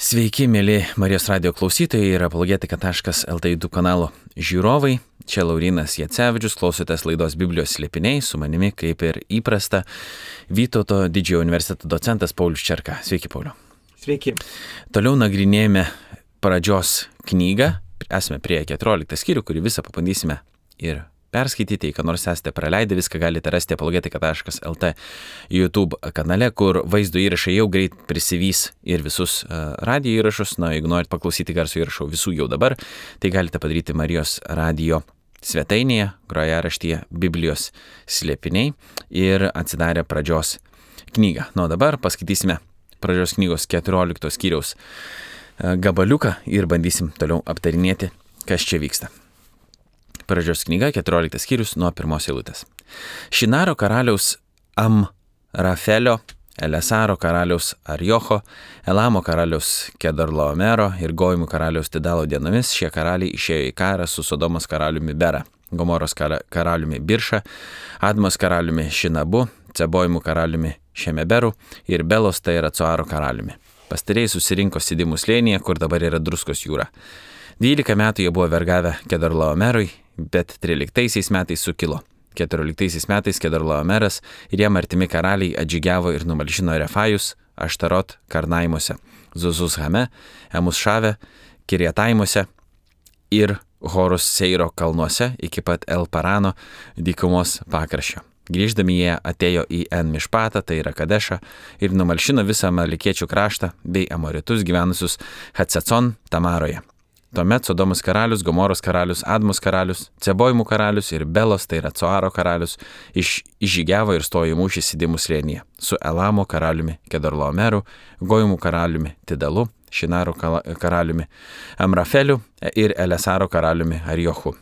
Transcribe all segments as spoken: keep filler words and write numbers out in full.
Sveiki, mėly Marijos radio klausytojai ir apologetika taškas el tė YouTube kanalo žiūrovai. Čia Laurynas Jacevičius, klausotės laidos Biblijos slėpiniai, su manimi, kaip ir įprasta, Vytauto didžiojo universiteto docentas Paulius Čerka. Sveiki, Pauliau. Sveiki. Toliau nagrinėjame pradžios knygą. Esame prie keturioliktą skyrių, kurį visą pabandysime ir perskaityti. Jei ką nors esate praleidę, viską galite rasti apologetika taškas el tė YouTube kanale, kur vaizdo įrašai jau greit prisivys ir visus uh, radio įrašus. Na, jeigu norit paklausyti garso įrašų visų jau dabar, tai galite padaryti Marijos radio svetainėje, grojaraštyje Biblijos slėpiniai ir atsidarę pradžios knygą. Na, dabar paskaitysime pradžios knygos keturiolikto skyriaus uh, gabaliuką ir bandysim toliau aptarinėti, kas čia vyksta. Pradžios knyga, keturioliktas skyrius nuo pirmos eilutės. Šinaro karaliaus Amrafelio, Elesaro karaliaus Arjocho, Elamo karaliaus Kedarlaomero ir Gojimų karaliaus Tidalo dienomis šie karaliai išėjo į karą su Sodomos karaliumi Bera, Gomoros karaliumi Birša, Admos karaliumi Šinabu, Cebojimų karaliumi Šemeberu ir Belos tai yra Coaro karaliumi. Pastarėjai susirinko Sidimų slėnyje, kur dabar yra Druskos jūra. Dvylika metų jie buvo vergavę Kedarlaomerui, bet tryliktaisiais metais sukilo. Keturioliktaisiais metais Kedarlaomeras ir jam artimi karaliai atžygiavo ir numalšino Refajus, Aštarot Karnaimuose, Zuzuzhame, Emusšave, Kirjataimuose ir Horus Seiro kalnuose iki pat El Parano dykumos pakraščio. Grįždami jie atėjo į En Mišpatą, tai yra Kadešą, ir numalšino visą Amalekiečių kraštą bei Amoritus gyvenusius Hatsacon Tamaroje. Tuomet Sodomos karalius, Gomoros karalius, Admos karalius, Cebojimų karalius ir Belos, tai yra Coaro karalius, iš, išžygiavo ir stojo į mūšį Sidimų slėnyje su Elamo karaliumi Kedarlaomeru, Gojimų karaliumi Tidalu, Šinaro karaliumi Amrafeliu ir Elesaro karaliumi Arjochu.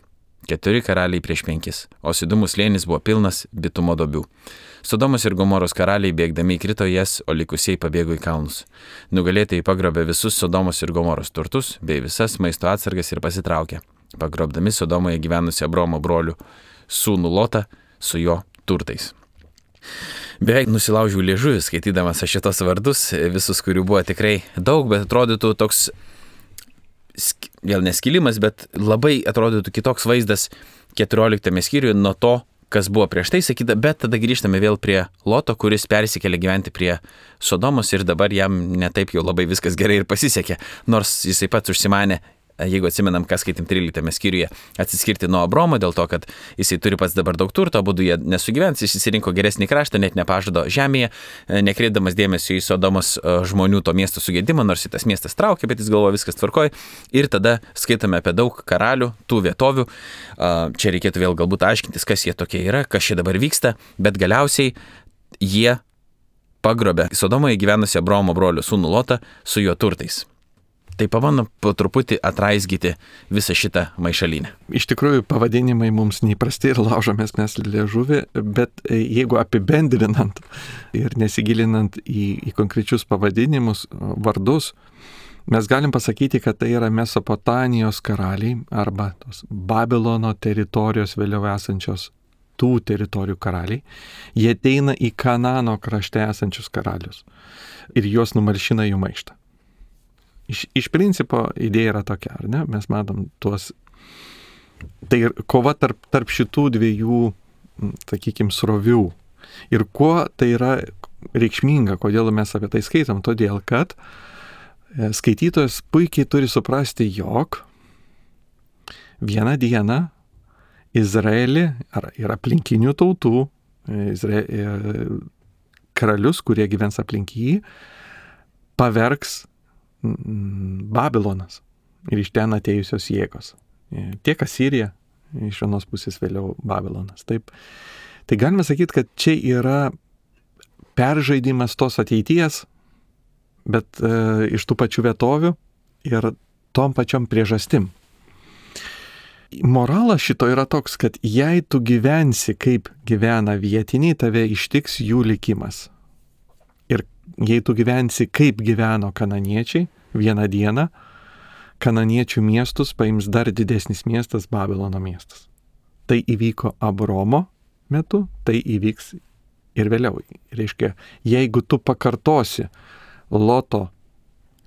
Keturi karaliai prieš penkis, o Sidimų slėnis buvo pilnas bitumo duobių. Sodomos ir Gomoros karaliai bėgdami įkrito jas, o likusieji pabėgo į kalnus. Nugalėtojai pagrobė visus Sodomos ir Gomoros turtus bei visas maisto atsargas ir pasitraukė, pagrobdami Sodomoje gyvenusią Abromo brolių sūnų Lotą su jo turtais. Beveik nusilaužiau liežuvį, skaitydamas aš šitos vardus, visus, kurių buvo tikrai daug, bet atrodytų toks, vėl neskilimas, bet labai atrodytų kitoks vaizdas keturioliktame skyriuje nuo to, kas buvo prieš tai sakyta, bet tada grįžtame vėl prie Loto, kuris persikėlė gyventi prie Sodomos ir dabar jam netaip jau labai viskas gerai ir pasisekė, nors jisai pats užsimanė, jeigu atsimenam, kas skaitim tryliktame skyriuje, atsiskirti nuo Abromo dėl to, kad jisai turi pats dabar daug turto, abudu jie nesugyvens, jis įsirinko geresnį kraštą, net nepažado žemėje, nekreipdamas dėmesio į Sodomos žmonių to miesto sugėdimą, nors tas miestas traukė, bet jis galvoja viskas tvarkoj. Ir tada skaitame apie daug karalių, tų vietovių. Čia reikėtų vėl galbūt aiškintis, kas jie tokie yra, kas čia dabar vyksta, bet galiausiai jie pagrobė Sodomoje gyvenusią Abromo brolių sūnų Lotą su jo turtais. Tai pabandom po truputį atraizgyti visą šitą maišalinę. Iš tikrųjų, pavadinimai mums neįprasti ir laužomės mes liežuvį, bet jeigu apibendrinant ir nesigilinant į, į konkrečius pavadinimus, vardus, mes galim pasakyti, kad tai yra Mesopotamijos karaliai arba tos Babilono teritorijos vėliau esančios tų teritorijų karaliai. Jie ateina į Kanano krašte esančius karalius ir juos numalšina jų maištą. Iš, iš principo idėja yra tokia, ar ne? Mes matom tuos, tai kova tarp, tarp šitų dviejų, sakykime, srovių. Ir kuo tai yra reikšminga, kodėl mes apie tai skaitom? Todėl, kad skaitytojas puikiai turi suprasti, jog vieną dieną Izraelį ar, ir aplinkinių tautų, Izrael, karalius, kurie gyvens aplink jį, pavergs Babilonas ir iš ten atėjusios jėgos. Tiek Asirija, iš vienos pusės vėliau Babilonas. Taip. Tai galime sakyti, kad čia yra peržaidimas tos ateities, bet e, iš tų pačių vietovių ir tom pačiom priežastim. Moralas šito yra toks, kad jei tu gyvensi kaip gyvena vietiniai, tave ištiks jų likimas. Ir jei tu gyvensi kaip gyveno kananiečiai, vieną dieną kananiečių miestus paims dar didesnis miestas, Babilono miestas. Tai įvyko Abromo metu, tai įvyks ir vėliau. Reiškia, jeigu tu pakartosi Loto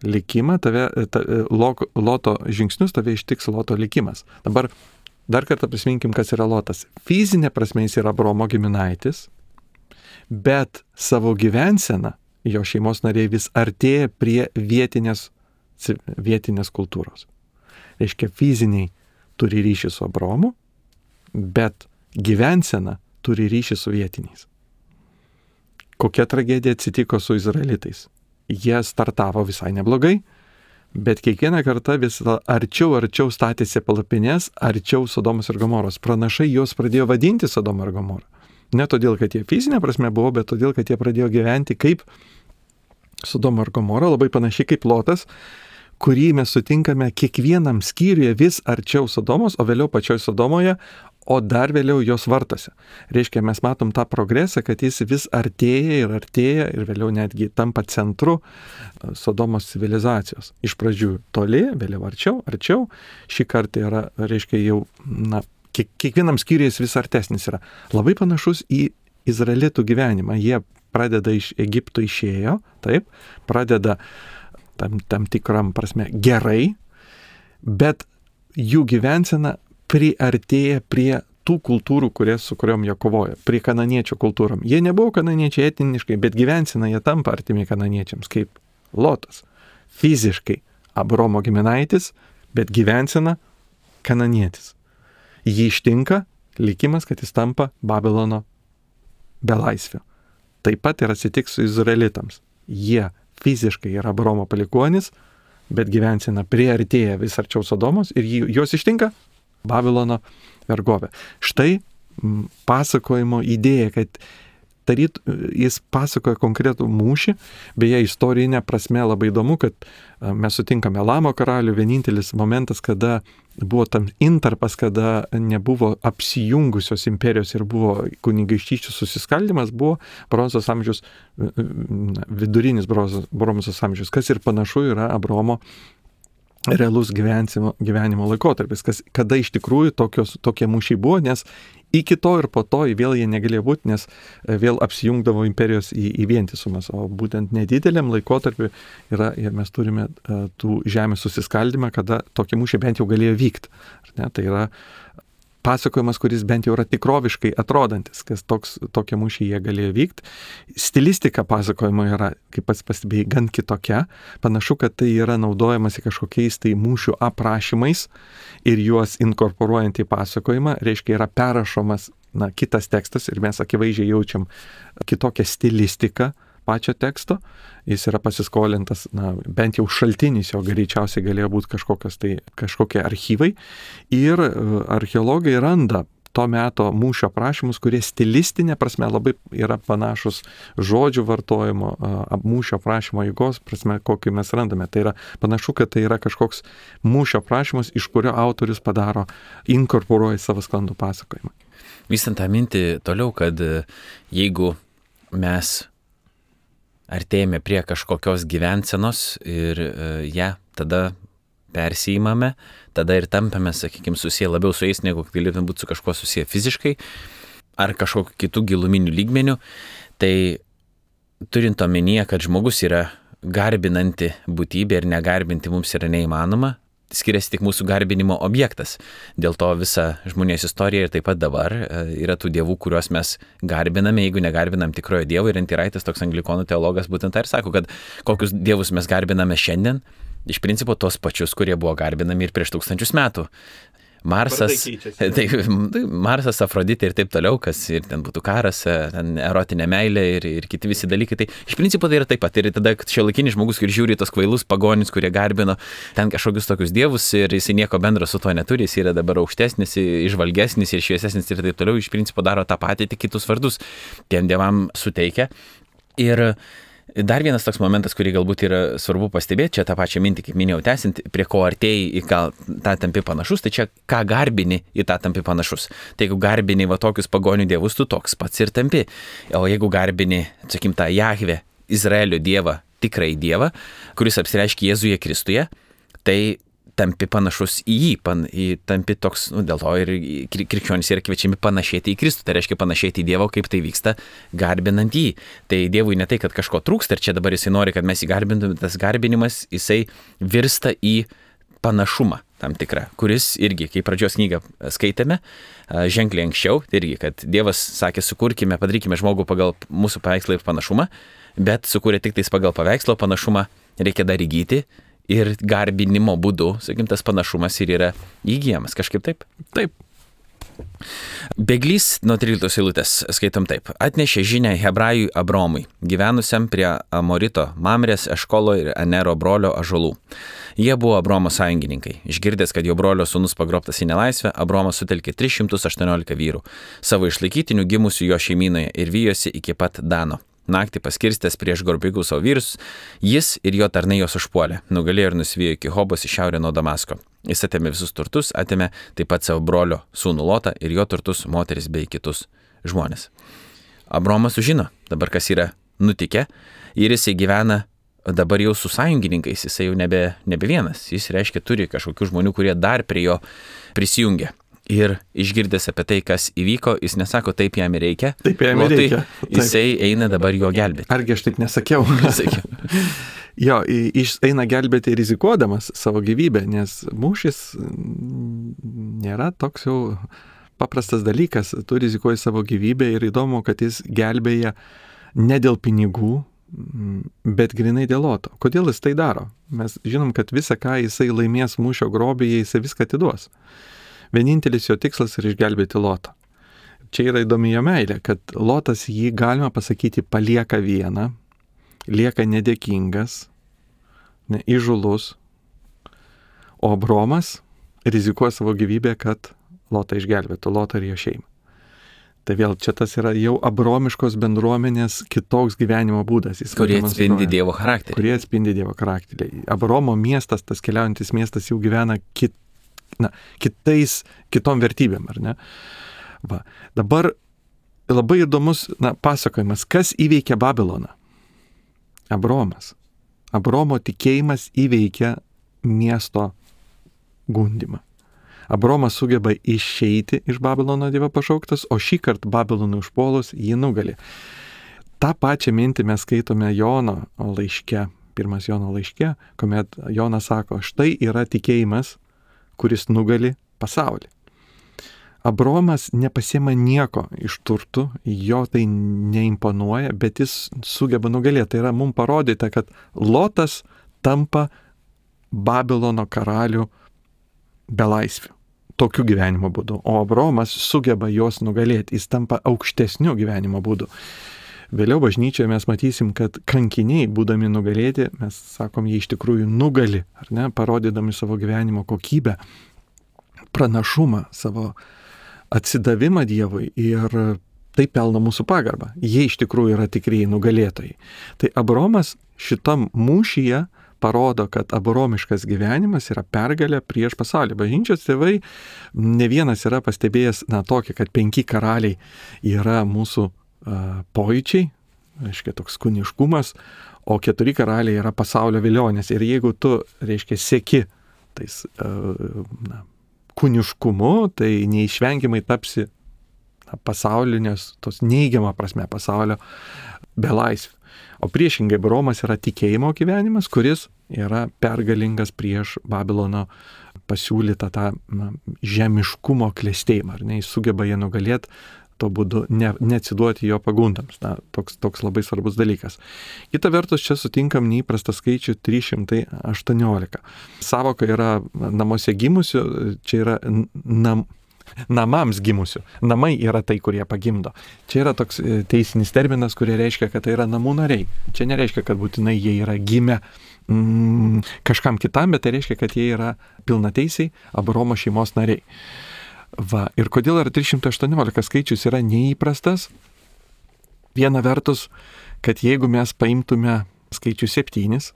likimą, tave, ta, Loto žingsnius tave ištiks Loto likimas. Dabar dar kartą prisiminkim, kas yra Lotas. Fizinė prasme jis yra Abraomo giminaitis, bet savo gyvenseną jo šeimos nariai vis artėja prie vietinės, vietinės kultūros. Reiškia, fiziniai turi ryšį su Abraomu, bet gyvensena turi ryšį su vietiniais. Kokia tragedija atsitiko su izraelitais? Jie startavo visai neblogai, bet kiekvieną kartą vis arčiau, arčiau statėsi palapinės, arčiau Sodomos ir Gomoros. Pranašai juos pradėjo vadinti Sodomą ir Gomorą. Ne todėl, kad jie fizinė prasme buvo, bet todėl, kad jie pradėjo gyventi kaip Sodoma ir Gomora, labai panašiai kaip Lotas, kurį mes sutinkame kiekvienam skyriuje vis arčiau Sodomos, o vėliau pačioj Sodomoje, o dar vėliau jos vartose. Reiškia, mes matom tą progresą, kad jis vis artėja ir artėja ir vėliau netgi tampa centru Sodomos civilizacijos. Iš pradžių toli, vėliau arčiau, arčiau. Šį kartą yra, reiškia, jau, na, kiek, kiekvienam skyriui jis vis artesnis yra. Labai panašus į izraelitų gyvenimą. Jie pradeda iš Egipto išėjo, taip, pradeda tam, tam tikram prasme gerai, bet jų gyvensena priartėja prie tų kultūrų, kurie, su kuriuom jie kovoja, prie kananiečių kultūrom. Jie nebuvo kananiečiai etniškai, bet gyvensena jie tampa artimi kananiečiams, kaip Lotas. Fiziškai Abraomo giminaitis, bet gyvensena kananietis. Jį ištinka likimas, kad jis tampa Babilono belaisviu. Taip pat ir atsitiks su izraelitams. Jie fiziškai yra Abraomo palikuonis, bet gyvensena priartėja vis arčiau Sodomos ir juos ištinka Babilono vergovė. Štai m, pasakojimo idėja, kad taryt, jis pasakoja konkretų mūšį, beje, istorinė prasme labai įdomu, kad mes sutinkame Elamo karalių, vienintelis momentas, kada buvo tam intarpas, kada nebuvo apsijungusios imperijos ir buvo kunigaikštyčių susiskaldimas, buvo bronzos amžius, vidurinis bronzos amžius, kas ir panašu yra Abraomo realus gyvenimo, gyvenimo laikotarpis, kas, kada iš tikrųjų tokios, tokie mūšiai buvo, nes iki to ir po to vėl jie negalėjo būti, nes vėl apsijungdavo imperijos į, į vientisumas, o būtent nedideliam laikotarpiu yra, ir mes turime uh, tų žemės susiskaldimą, kada tokie mūšiai bent jau galėjo vykti. Ne? Tai yra pasakojimas, kuris bent jau yra tikroviškai atrodantis, kas toks, tokie mūšiai jie galėjo vykti. Stilistika pasakojimo yra, kaip pats pastebėjai, gan kitokia. Panašu, kad tai yra naudojamasi kažkokiais tai mūšių aprašymais ir juos inkorporuojant į pasakojimą, reiškia yra perrašomas na, kitas tekstas ir mes akivaizdžiai jaučiam kitokią stilistiką pačio teksto. Jis yra pasiskolintas, na, bent jau šaltinis jo greičiausiai galėjo būti kažkokios tai, kažkokie archyvai. Ir archeologai randa to meto mūšio aprašymus, kurie stilistinė prasme labai yra panašus žodžių vartojimo, mūšio aprašymo eigos prasme, kokį mes randame. Tai yra panašu, kad tai yra kažkoks mūšio aprašymas, iš kurio autorius padaro, inkorporuoja savo sklandų pasakojimą. Vystant tą mintį toliau, kad jeigu mes artėjame prie kažkokios gyvensenos ir uh, ją ja, tada persijimame, tada ir tampame, sakykime, susiję labiau su jais, negu galėtume būti su kažkuo susiję fiziškai ar kažkokiu kitų giluminių lygmenių, tai turint omenyje, kad žmogus yra garbinanti būtybė ir negarbinti mums yra neįmanoma, skiriasi tik mūsų garbinimo objektas. Dėl to visa žmonijos istorija ir taip pat dabar yra tų dievų, kuriuos mes garbiname, jeigu negarbinam tikrojo dievo. Ir Antiraitis, toks anglikonų teologas, būtent tai ir sako, kad kokius dievus mes garbiname šiandien, iš principo tos pačius, kurie buvo garbinami ir prieš tūkstančius metų. Marsas, tai, Marsas, Afroditė ir taip toliau, kas ir ten būtų karas, ten erotinė meilė ir, ir kiti visi dalykai. Tai iš principo tai yra taip pat. Ir tada šiuolaikinis žmogus, kuris žiūri tos kvailus pagonis, kurie garbino ten kažkokius tokius dievus ir jis nieko bendro su to neturi, jis yra dabar aukštesnis, išvalgesnis ir šviesesnis ir taip toliau, iš principo daro tą patį, tik kitus vardus tiem dievam suteikia. Ir dar vienas toks momentas, kurį galbūt yra svarbu pastebėti, čia tą pačią mintį, kaip minėjau, tęsint, prie ko artėjai į gal tą tampi panašus, tai čia ką garbini į tą tampi panašus. Tai jeigu garbini va tokius pagonių dievus, tu toks pats ir tampi. O jeigu garbini, sakykim, tą Jahvę, Izraelio dievą, tikrai dievą, kuris apsireiškia Jėzuje Kristuje, tai tampi panašus į jį, pan, į, tampi toks, nu, dėl to ir krikščionys yra kviečiami panašėti į Kristų, tai reiškia panašėti į Dievą, kaip tai vyksta, garbinant jį. Tai Dievui ne tai, kad kažko trūksta ir čia dabar jisai nori, kad mes jį garbintume, tas garbinimas, jisai virsta į panašumą tam tikrą, kuris irgi, kai pradžios knygą skaitėme, ženkliai anksčiau, tai irgi, kad Dievas sakė, sukurkime, padarykime žmogų pagal mūsų paveikslą ir panašumą, bet sukūrė tik tais pagal paveikslo panašumą, reikia dar įgyti ir garbinimo būdu, sakykim, tas panašumas ir yra įgyjamas, kažkaip taip? Taip. Bėglys nuo tryliktos eilutės skaitom taip. Atnešė žinią Hebrajui Abromui, gyvenusiam prie Amorito Mamrės, Eškolo ir Anero brolio ąžuolų. Jie buvo Abromo sąjungininkai. Išgirdęs, kad jo brolio sūnus pagrobtas į nelaisvę, Abromas sutelkė tris šimtus aštuoniolika vyrų, savo išlaikytinių gimusių jo šeimynoje ir vijosi iki pat Dano. Naktį paskirstęs prieš gorbigus savo vyrus, jis ir jo tarnai jos užpuolė, nugalėjo ir nusivijo iki Hobos į šiaurę nuo Damasko. Jis atėmė visus turtus, atėmė taip pat savo brolio sūnų Lotą ir jo turtus, moteris bei kitus žmonės. Abromas sužino dabar, kas yra nutikę, ir jisai gyvena dabar jau su sąjungininkais, jisai jau nebe, nebe vienas, jis reiškia turi kažkokių žmonių, kurie dar prie jo prisijungia. Ir išgirdęs apie tai, kas įvyko, jis nesako, taip jam reikia. Taip jam reikia. Taip. Jisai eina dabar jo gelbėti. Argi aš taip nesakiau? Sakiau. Jo, jis eina gelbėti rizikuodamas savo gyvybę, nes mūšis nėra toks jau paprastas dalykas. Tu rizikuoji savo gyvybę ir įdomu, kad jis gelbėja ne dėl pinigų, bet grinai dėl Loto. Kodėl jis tai daro? Mes žinom, kad visą, ką jisai laimės mūšio grobėje, jisai viską atiduos. Vienintelis jo tikslas yra išgelbėti Lotą. Čia yra įdomi jo meilė, kad Lotas jį, galima pasakyti, palieka vieną, lieka nedėkingas, ne, įžūlus, o Abromas rizikuoja savo gyvybę, kad Lotą išgelbėtų, Lotą ir jo šeimą. Tai vėl čia tas yra jau abromiškos bendruomenės kitoks gyvenimo būdas. Jis kurie atspindi Dievo charakterį. Kurie atspindi Dievo charakterį. Abromo miestas, tas keliaujantis miestas jau gyvena kit Na, kitais, kitom vertybėm, ar ne? Va. Dabar labai įdomus na, pasakojimas, kas įveikia Babiloną? Abromas. Abromo tikėjimas įveikia miesto gundimą. Abromas sugeba išeiti iš Babilono Dievo pašauktas, o šį kartą Babilonui užpuolus jį nugali. Ta pačią mintį mes skaitome Jono laiške, pirmas Jono laiške, kuomet Jonas sako, štai yra tikėjimas, kuris nugali pasaulį. Abromas nepasiema nieko iš turtų, jo tai neimponuoja, bet jis sugeba nugalėti. Tai yra mums parodyta, kad Lotas tampa Babilono karalių belaisvių. Tokiu gyvenimo būdu. O Abromas sugeba juos nugalėti. Jis tampa aukštesniu gyvenimo būdu. Vėliau bažnyčioje mes matysim, kad kankiniai, būdami nugalėti, mes sakom, jie iš tikrųjų nugali, ar ne, parodydami savo gyvenimo kokybę, pranašumą, savo atsidavimą Dievui ir tai pelno mūsų pagarbą. Jie iš tikrųjų yra tikrieji nugalėtojai. Tai Abromas šitam mūšyje parodo, kad abromiškas gyvenimas yra pergalė prieš pasaulį. Bažnyčios tėvai ne vienas yra pastebėjęs, na, tokį, kad penki karaliai yra mūsų pojūčiai, reiškia toks kūniškumas, o keturi karaliai yra pasaulio vilionės. Ir jeigu tu, reiškia, seki tais na, kūniškumu, tai neišvengiamai tapsi na, pasaulinės, tos neigiamą prasme pasaulio belaisvių. O priešingai Abromas yra tikėjimo gyvenimas, kuris yra pergalingas prieš Babilono pasiūlytą tą na, žemiškumo klestėjimą. Ar ne, jis sugeba jį nugalėti, to būdu ne, neatsiduoti jo pagundams. Na, toks, toks labai svarbus dalykas. Kita vertus, čia sutinkam neįprastą skaičių trys šimtai aštuoniolika. Savoka yra namuose gimusių, čia yra nam, namams gimusių. Namai yra tai, kurie pagimdo. Čia yra toks teisinis terminas, kurie reiškia, kad tai yra namų nariai. Čia nereiškia, kad būtinai jie yra gimę mm, kažkam kitam, bet tai reiškia, kad jie yra pilnateisiai Abromo šeimos nariai. Va, ir kodėl yra trys šimtai aštuoniolika skaičius yra neįprastas? Viena vertus, kad jeigu mes paimtume skaičių septynis,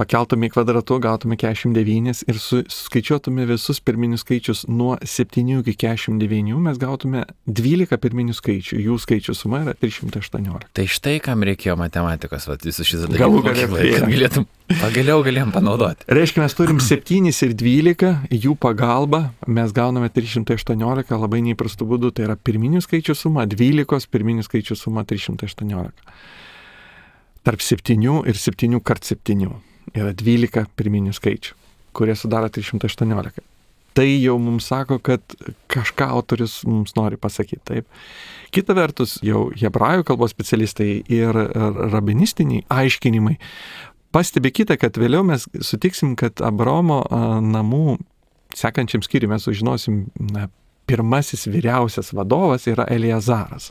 pakeltume į kvadratu, gautume keturiasdešimt devyni ir skaičiuotume visus pirminius skaičius nuo septynių iki keturiasdešimt devynių, mes gautume dvylika pirminių skaičių, jų skaičių suma yra trys šimtai aštuoniolika. Tai štai kam reikėjo matematikos, va, visus šis Galų dalykas, gale, kad galėtum, pagaliau galėjom panaudoti. Reiškia, mes turim septynis ir dvylika, jų pagalba mes gauname trys šimtai aštuoniolika, labai neįprastų būdų, tai yra pirminių skaičių suma, dvylikos pirminių skaičių suma trys šimtai aštuoniolika. Tarp septynių ir septynių kart septynių yra dvylika pirminių skaičių, kurie sudaro trys šimtai aštuoniolika. Tai jau mums sako, kad kažką autorius mums nori pasakyti. Taip. Kita vertus, jau hebrajų kalbos specialistai ir rabinistiniai aiškinimai pastebi kitą, kad vėliau mes sutiksim, kad Abraomo namų sekančiam skyriui mes sužinosim, na, pirmasis vyriausias vadovas yra Eliezaras.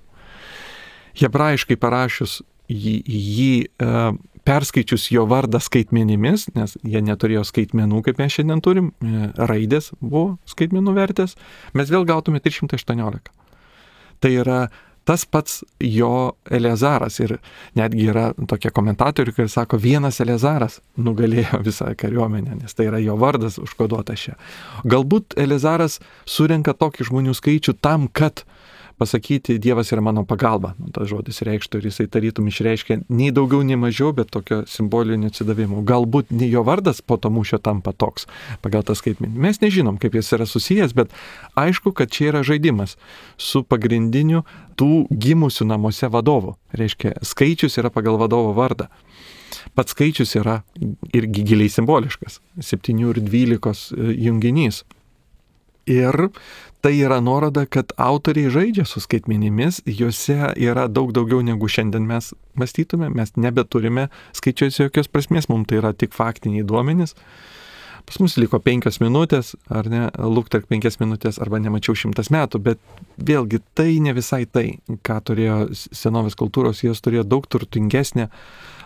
Hebrajiškai parašius jį, jį e, perskaičius jo vardą skaitmenimis, nes jie neturėjo skaitmenų, kaip mes šiandien turim, e, raidės buvo skaitmenų vertės, mes vėl gautume trys šimtai aštuoniolika. Tai yra tas pats jo Eliezaras ir netgi yra tokie komentatoriai, kurie sako, vienas Eliezaras nugalėjo visą kariuomenę, nes tai yra jo vardas užkoduotas čia. Galbūt Eliezaras surenka tokį žmonių skaičių tam, kad pasakyti, Dievas yra mano pagalba. Nu, tas žodis reikštų ir jisai tarytum išreiškia nei daugiau, nei mažiau, bet tokio simbolinio atsidavimo. Galbūt ne jo vardas po to mūšio tampa toks pagal tą skaitmenį. Mes nežinom, kaip jis yra susijęs, bet aišku, kad čia yra žaidimas su pagrindiniu tų gimusių namuose vadovų. Reiškia, skaičius yra pagal vadovo vardą. Pats skaičius yra irgi giliai simboliškas. septynių ir dvylikos junginys. Ir tai yra nuoroda, kad autoriai žaidžia su skaitmenimis, juose yra daug daugiau negu šiandien mes mąstytume, mes nebeturime skaičiuose jokios prasmės, mums tai yra tik faktiniai duomenys. Pas mus liko penkios minutės, ar ne, lukterk penkias minutės, arba nemačiau šimtas metų, bet vėlgi tai ne visai tai, ką turėjo senovės kultūros, jos turėjo daug turtingesnę,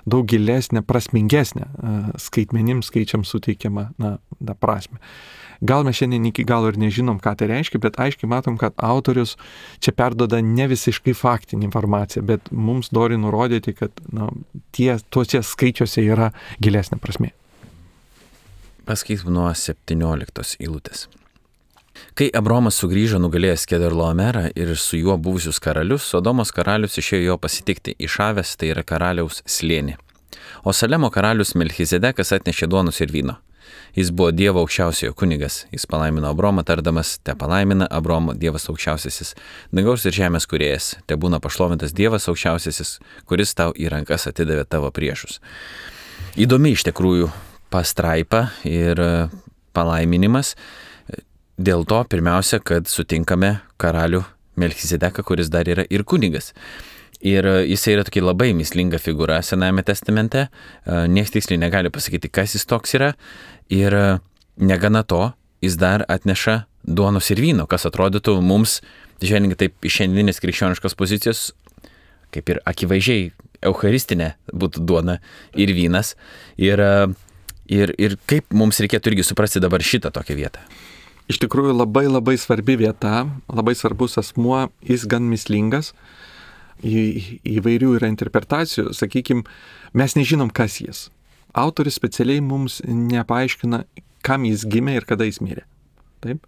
daug gilesnę, prasmingesnę skaitmenims skaičiams suteikiamą na, na, prasme. Gal mes šiandien iki galo ir nežinom, ką tai reiškia, bet aiškiai matom, kad autorius čia perdoda ne visiškai faktinį informaciją, bet mums nori nurodyti, kad na, tie, tuose skaičiuose yra gilesnė prasmė. Paskaitom nuo septynioliktos eilutės. Kai Abraomas sugrįžo nugalėjęs Kedorlaomerą ir su juo buvusius karalius, Sodomos karalius išėjo jo pasitikti į Šavės, tai yra karaliaus slėnį. O Salemo karalius Melchizedekas atnešė duonos ir vyno. Jis buvo Dievo aukščiausiojo kunigas. Jis palaimino Abromą, tardamas, te palaimina Abromo Dievas aukščiausiasis, dangaus ir žemės kūrėjas, te būna pašlovintas Dievas aukščiausiasis, kuris tau į rankas atidavė tavo priešus. Įdomi iš tikrųjų pastraipa ir palaiminimas. Dėl to pirmiausia, kad sutinkame karalių Melchizedeką, kuris dar yra ir kunigas. Ir jisai yra tokia labai mįslinga figūra Senajame testamente, niekas tiksliai negali pasakyti, kas jis toks yra, ir negana to, jis dar atneša duonos ir vyno, kas atrodytų mums, žvelgiant taip iš šiandieninės krikščioniškos pozicijos, kaip ir akivaizdžiai eucharistinė būtų duona ir vynas, ir, ir, ir kaip mums reikėtų irgi suprasti dabar šitą tokią vietą. Iš tikrųjų labai labai svarbi vieta, labai svarbus asmuo, jis gan mįslingas. Į, įvairių yra interpretacijų, sakykime, mes nežinom, kas jis. Autoris specialiai mums nepaaiškina, kam jis gimė ir kada jis mirė. Taip?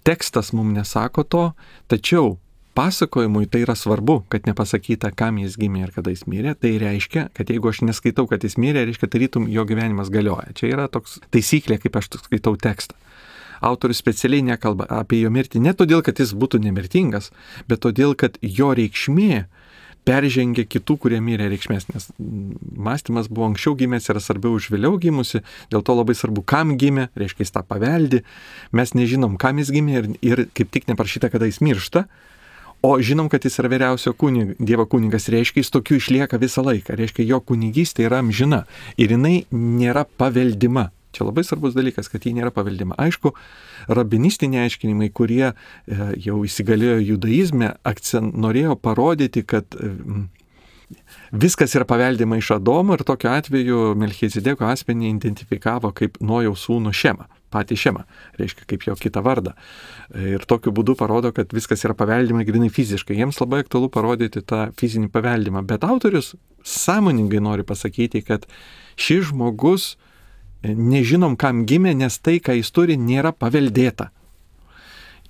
Tekstas mums nesako to, tačiau pasakojimui tai yra svarbu, kad nepasakyta, kam jis gimė ir kada jis mirė. Tai reiškia, kad jeigu aš neskaitau, kad jis mirė, reiškia, tarytum jo gyvenimas galioja. Čia yra toks taisyklė, kaip aš skaitau tekstą. Autorius specialiai nekalba apie jo mirtį ne todėl, kad jis būtų nemirtingas, bet todėl, kad jo reikšmė peržengia kitų, kurie mirė reikšmės, nes mąstymas buvo anksčiau gimęs, yra svarbiau už vėliau gimusi, dėl to labai svarbu, kam gimė, reiškia jis tą paveldi, mes nežinom, kam jis gimė ir, ir kaip tik neprašyta, kada jis miršta, o žinom, kad jis yra vyriausio kunig, Dievo kunigas, reiškia jis tokiu išlieka visą laiką, reiškia jo kunigystė yra amžina ir jinai nėra paveldima. Čia labai svarbus dalykas, kad jį nėra paveldima. Aišku, rabinistiniai aiškinimai, kurie e, jau įsigalėjo judaizme, akcent norėjo parodyti, kad e, viskas yra paveldima iš Adomo ir tokiu atveju Melchizedeko asmenį identifikavo kaip Nojaus sūnų Šemą, patį Šemą, reiškia kaip jo kitą vardą. Ir tokiu būdu parodo, kad viskas yra paveldima grinai fiziškai. Jiems labai aktualu parodyti tą fizinį paveldimą, bet autorius sąmoningai nori pasakyti, kad šis žmogus nežinom, kam gimė, nes tai, ką jis turi, nėra paveldėta.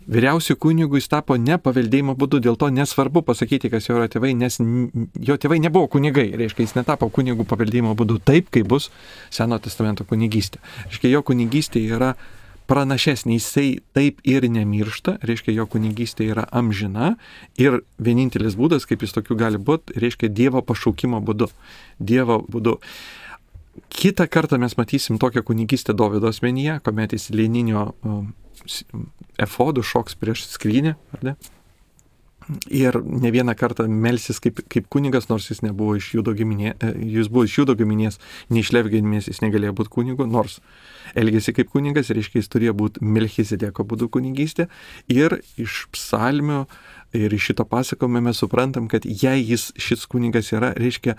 Vyriausių kunigų jis tapo ne paveldėjimo būdu, dėl to nesvarbu pasakyti, kas jo yra tėvai, nes jo tėvai nebuvo kunigai, reiškia, jis netapo kunigų paveldėjimo būdu taip, kaip bus Seno testamento kunigystė. Reiškia, jo kunigystė yra pranašesnė, jisai taip ir nemiršta, reiškia, jo kunigystė yra amžina ir vienintelis būdas, kaip jis tokių gali būti, reiškia, Dievo pašaukimo būdu. Dievo būdu. Kitą kartą mes matysim tokią kunigystę Dovydo asmenyje, kuomet jis lėninio efodų šoks prieš skrynę, ar ne? Ir ne vieną kartą melsis kaip, kaip kunigas, nors jis nebuvo iš Judo giminės, jis buvo iš Judo giminės, ne iš Levi giminės, jis negalėjo būti kunigu, nors elgėsi kaip kunigas, reiškia, jis turėjo būti Melchizedeko būdu kunigystė. Ir iš psalmių ir iš šito pasakojimo mes suprantam, kad jei jis šis kunigas yra, reiškia,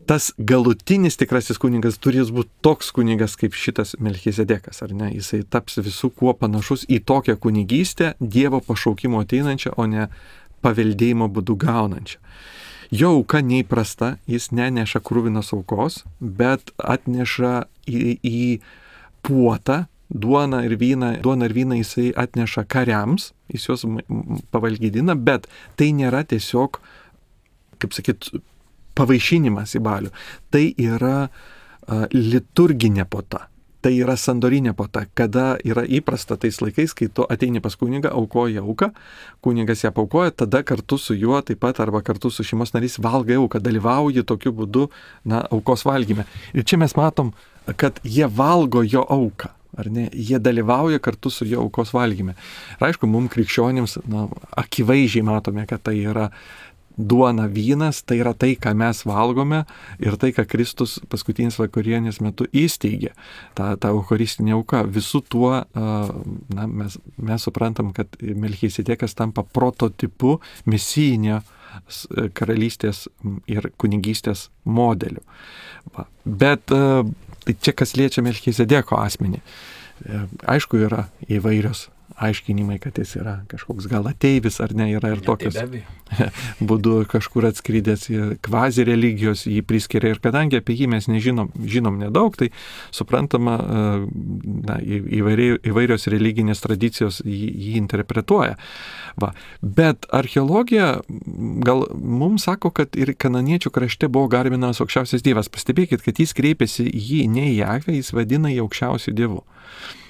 tas galutinis tikrasis kunigas turės būti toks kunigas kaip šitas Melchizedekas, ar ne? Jisai taps visų kuo panašus į tokią kunigystę, Dievo pašaukimo ateinančią, o ne paveldėjimo būdu gaunančią. Jo auka neįprasta, jis neneša krūvinos aukos, bet atneša į, į puotą duoną ir vyną. Duoną ir vyną jisai atneša kariams, jis juos pavalgydina, bet tai nėra tiesiog, kaip sakyt, pavaišinimas į balių. Tai yra uh, liturginė puota. Tai yra sandorinė puota, kada yra įprasta tais laikais, kai tu ateini pas kunigą, aukoji auką, kunigas ją paukoja, tada kartu su juo taip pat arba kartu su šeimos narys valgai auką, dalyvauji tokiu būdu, na, aukos valgyme. Ir čia mes matom, kad jie valgo jo auką. Ar ne? Jie dalyvauja kartu su jo aukos valgyme. Ir aišku, mums krikščionims, na, akivaizdžiai matome, kad tai yra duona, vynas, tai yra tai, ką mes valgome ir tai, ką Kristus paskutinės vakarienės metu įsteigė, ta, ta eucharistinė auka. Visų tuo na, mes, mes suprantam, kad Melchizedekas tampa prototipu mesijinio karalystės ir kunigystės modeliu. Va. Bet tai čia kas liečia Melchizedeko asmenį. Aišku, yra įvairios aiškinimai, kad jis yra kažkoks gal ateivis ar ne, yra ir tokios būdu kažkur atskridęs kvazi religijos, jį priskiria ir kadangi apie jį mes nežinom, žinom nedaug, tai suprantama, na, įvairiai, įvairios religinės tradicijos jį, jį interpretuoja. Va. Bet archeologija gal mums sako, kad ir kananiečių krašte buvo garbinamas aukščiausias dievas. Pastebėkit, kad jis kreipėsi jį ne į Jahvę, jis vadina jį aukščiausiu dievu.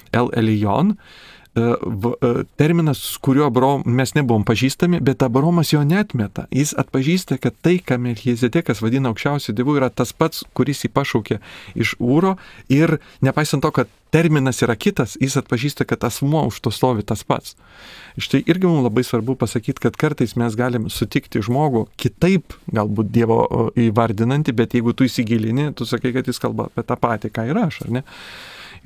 El Elijon, terminas, kuriuo Abrom, mes nebuvom pažįstami, bet Abromas jo neatmeta. Jis atpažįsta, kad tai, ką Melchizedekas vadina aukščiausiu dievu, yra tas pats, kuris jį pašaukė iš Ūro, ir nepaisant to, kad terminas yra kitas, jis atpažįsta, kad asmuo už to stovi tas pats. Štai irgi mums labai svarbu pasakyti, kad kartais mes galim sutikti žmogų kitaip, galbūt Dievo įvardinantį, bet jeigu tu įsigilini, tu sakai, kad jis kalba apie tą patį, ką ir aš, ar ne?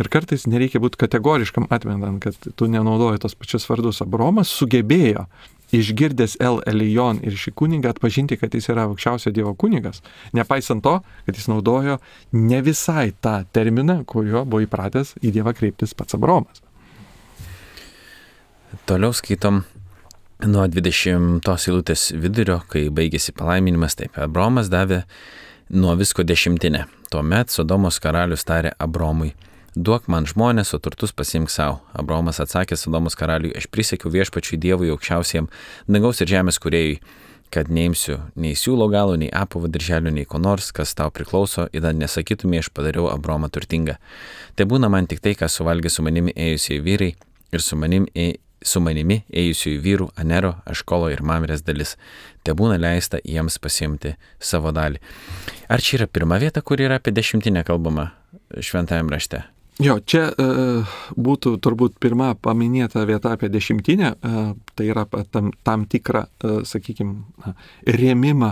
Ir kartais nereikia būti kategoriškam atmetant, kad tu nenaudoji tos pačius vardus. Abromas sugebėjo, išgirdęs El Elijon ir šį kunigą, atpažinti, kad jis yra aukščiausio Dievo kunigas, nepaisant to, kad jis naudojo ne visai tą terminą, kuriuo buvo įpratęs į Dievą kreiptis pats Abromas. Toliau skaitom nuo dvidešimtos eilutės vidurio, kai baigėsi palaiminimas, taip, Abromas davė nuo visko dešimtinę. Tuomet Sodomos karalius tarė Abromui: duok man žmonės, o turtus pasiimk savo. Abromas atsakė Sodomos karaliui: aš prisiekiau viešpačiui Dievui aukščiausiam dangaus ir žemės kūrėjui, kad neimsiu nei siūlo galo, nei apavo dirželio, nei ko nors, kas tau priklauso, ir nesakytumė, aš padariau Abromą turtingą. Tai būna man tik tai, ką suvalgė su manimi ėjusiai vyrai ir su manimi, ė, su manimi ėjusiųjų vyrų Anero, Aškolo ir Mamrės dalis. Te būna leista jiems pasiimti savo dalį. Ar čia yra pirma vieta, kur yra apie dešimtinę kalbama šventajam rašte? Jo, čia e, būtų turbūt pirma paminėta vieta apie dešimtinę, e, tai yra tam, tam tikrą, e, sakykime, rėmimą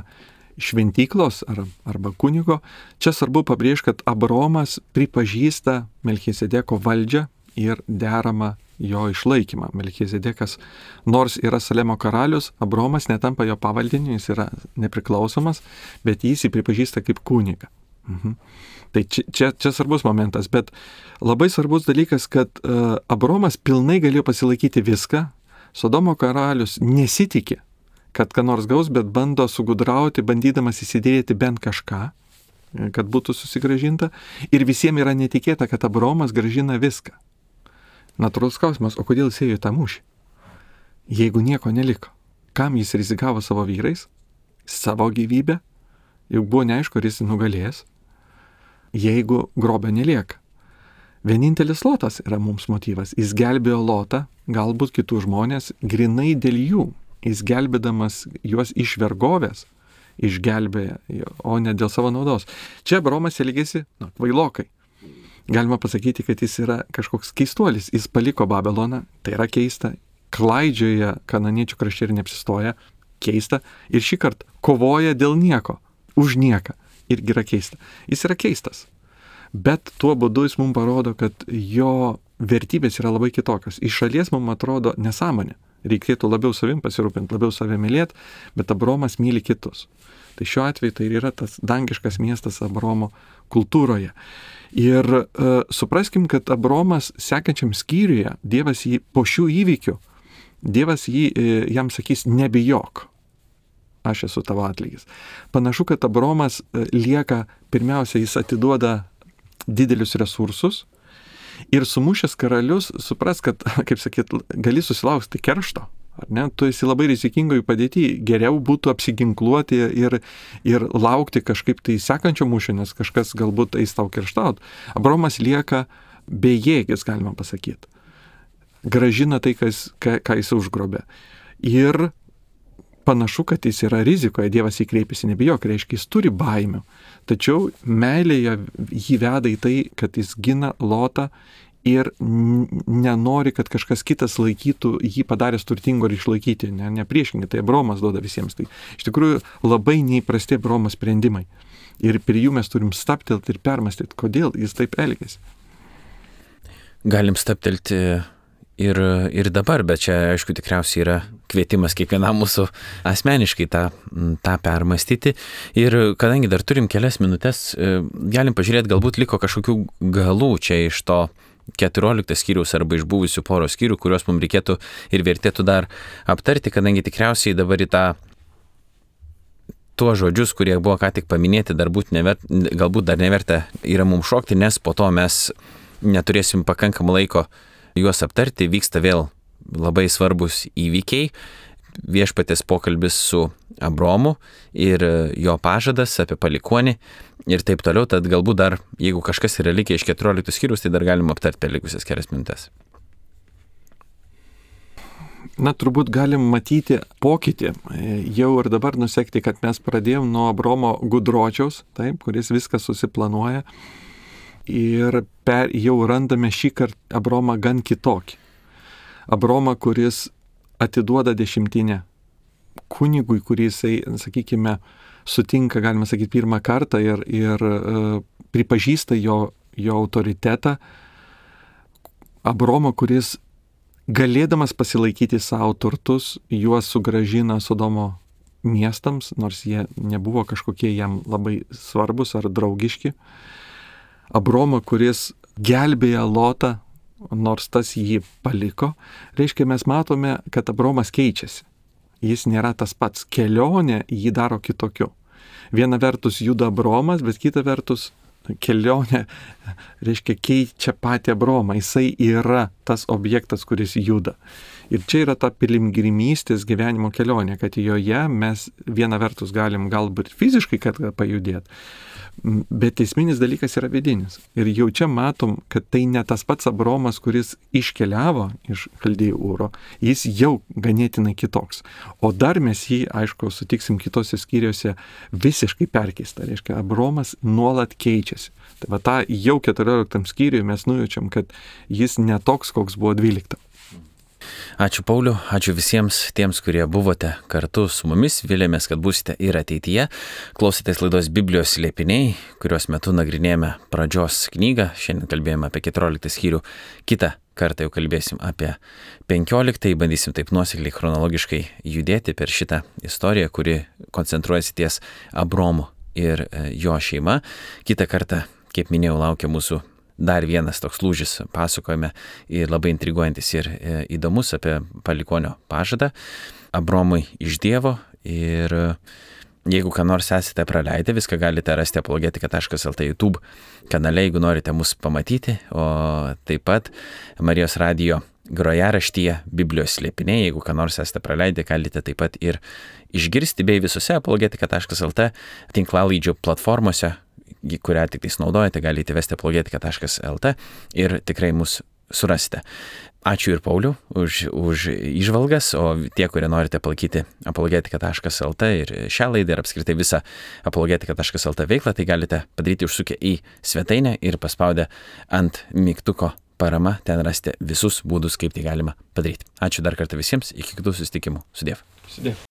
šventyklos ar, arba kunigo. Čia svarbu pabrėžti, kad Abromas pripažįsta Melchizedeko valdžią ir deramą jo išlaikymą. Melchizedekas, nors yra Salemo karalius, Abromas netampa jo pavaldiniu, jis yra nepriklausomas, bet jis jį pripažįsta kaip kunigą. Mhm. Tai čia, čia, čia svarbus momentas, bet labai svarbus dalykas, kad uh, Abromas pilnai galėjo pasilaikyti viską. Sodomo karalius nesitikė, kad ką nors gaus, bet bando sugudrauti, bandydamas įsidėti bent kažką. kad būtų susigražinta. Ir visiems yra netikėta, kad Abraomas gražina viską. Natūralus klausimas, o kodėl jis ėjo į tą mūšį? Jeigu nieko neliko, kam jis rizikavo savo vyrais, savo gyvybę, juk buvo neaišku, ar jis nugalės, jeigu grobio nelieka. Vienintelis Lotas yra mums motyvas. Jis gelbėjo Lotą, galbūt kitų žmonės, grinai dėl jų. Jis gelbėdamas juos iš vergovės, išgelbėja, o ne dėl savo naudos. Čia Abraomas elgėsi, na, kvailokai. Galima pasakyti, kad jis yra kažkoks keistuolis. Jis paliko Babiloną, tai yra keista, klaidžioja kananiečių krašte ir neapsistoja, keista, ir šį kartą kovoja dėl nieko, už nieką, irgi yra keista. Jis yra keistas, bet tuo būdu jis mums parodo, kad jo vertybės yra labai kitokios. Iš šalies mums atrodo nesąmonė. Reikėtų labiau savim pasirūpinti, labiau save mylėti, bet Abraomas myli kitus. Tai šiuo atveju tai yra tas dangiškas miestas Abraomo kultūroje. Ir e, supraskim, kad Abraomas sekančiam skyriuje, Dievas jį po šių įvykių, Dievas jį, e, jam sakys, nebijok, aš esu tavo atlygis. Panašu, kad Abraomas e, lieka, pirmiausia, jis atiduoda didelius resursus, ir sumušęs karalius, supras, kad, kaip sakyt, gali susilaukti keršto, ar ne? Tu esi labai rizikingoje padėtyje, geriau būtų apsiginkluoti ir, ir laukti kažkaip tai sekančio mūšio, nes kažkas galbūt eis tau kerštaut. Abraomas lieka bejėgis, galima pasakyti. Gražina tai, kas, ką, ką jis užgrobė. Ir panašu, kad jis yra rizikoje, Dievas įkreipėsi, nebijok, reiškia, jis turi baimių. Tačiau meilėje jį veda į tai, kad jis gina Lotą ir nenori, kad kažkas kitas laikytų jį padaręs turtingo ir išlaikyti. Ne, ne priešingai, tai Abraomas duoda visiems. Tai iš tikrųjų labai neįprasti Abraomo sprendimai. Ir prie jų mes turim staptelti ir permastyti, kodėl jis taip elgiasi. Galim staptelti ir, ir dabar, bet čia, aišku, tikriausiai yra kvietimas kiekvienam mūsų asmeniškai tą, tą permastyti. Ir kadangi dar turim kelias minutės, galim pažiūrėti, galbūt liko kažkokių galų čia iš to keturiolikto skyriaus arba iš buvusių poros skyrių, kuriuos mums reikėtų ir vertėtų dar aptarti, kadangi tikriausiai dabar į tą tuos žodžius, kurie buvo ką tik paminėti, dar būt nevert, galbūt dar neverta yra mums šokti, nes po to mes neturėsim pakankamą laiko juos aptarti, vyksta vėl labai svarbus įvykiai, viešpatės pokalbis su Abraomu ir jo pažadas apie palikuonį ir taip toliau, tad galbūt dar, jeigu kažkas yra likę iš keturioliktos skyrius, tai dar galima aptarti per likusias kelias minutės. Na, turbūt galim matyti pokytį, jau ir dabar nusekti, kad mes pradėjom nuo Abraomo gudročiaus, taip, kuris viską susiplanuoja. Ir per, jau randame šį kartą Abraomą gan kitokį. Abraomą, kuris atiduoda dešimtinę kunigui, kuris, sakykime, sutinka, galima sakyti, pirmą kartą ir, ir uh, pripažįsta jo, jo autoritetą. Abraomą, kuris galėdamas pasilaikyti savo turtus, juos sugrąžina Sodomo miestams, nors jie nebuvo kažkokie jam labai svarbus ar draugiški. Abraomą, kuris gelbėja Lotą, nors tas jį paliko, reiškia, mes matome, kad Abraomas keičiasi. Jis nėra tas pats. Kelionė jį daro kitokiu. Viena vertus juda Abraomas, bet kita vertus kelionė, reiškia, keičia patį Abraomą. Jisai yra tas objektas, kuris juda. Ir čia yra ta piligrimystės gyvenimo kelionė, kad joje mes viena vertus galim galbūt fiziškai kad pajudėti, bet esminis dalykas yra vidinis. Ir jau čia matom, kad tai ne tas pats Abraomas, kuris iškeliavo iš Chaldėjų Ūro, jis jau ganėtinai kitoks. O dar mes jį, aišku, sutiksim kitose skyriuose visiškai perkeistą. Reiškia, Abraomas nuolat keičiasi. Tai va tą jau keturioliktam skyriui mes nujaučiam, kad jis ne toks, koks buvo dvyliktam. Ačiū Pauliu, ačiū visiems tiems, kurie buvote kartu su mumis, vilėmės, kad būsite ir ateityje. Klausėtės laidos Biblijos slėpiniai, kurios metu nagrinėjame pradžios knygą, šiandien kalbėjome apie keturioliktą skyrių, kitą kartą jau kalbėsim apie penkioliktą, bandysim taip nuosekliai chronologiškai judėti per šitą istoriją, kuri koncentruojasi ties Abraomu ir jo šeima. Kitą kartą, kaip minėjau, laukia mūsų dar vienas toks lūžis pasakojame ir labai intriguojantis ir įdomus apie palikonio pažadą Abraomui iš Dievo ir jeigu ką nors esate praleidę, viską galite rasti apologetika taškas el tė YouTube kanale, jeigu norite mus pamatyti, o taip pat Marijos radijo grojaraštyje Biblijos slėpiniai, jeigu ką nors esate praleidę, galite taip pat ir išgirsti, bei visose apologetika taškas el tė tinklalaidžių platformose, kurią tik tais naudojate, galite įvesti apologetika taškas el tė ir tikrai mus surasite. Ačiū ir Pauliu už, už įžvalgas, o tie, kurie norite palaikyti apologetika taškas el tė ir šią laidą ir apskritai visą apologetika taškas el tė veiklą, tai galite padaryti užsukę į svetainę ir paspaudę ant mygtuko parama, ten rasite visus būdus, kaip tai galima padaryti. Ačiū dar kartą visiems, iki kitų susitikimų. Sudiev. Sudiev.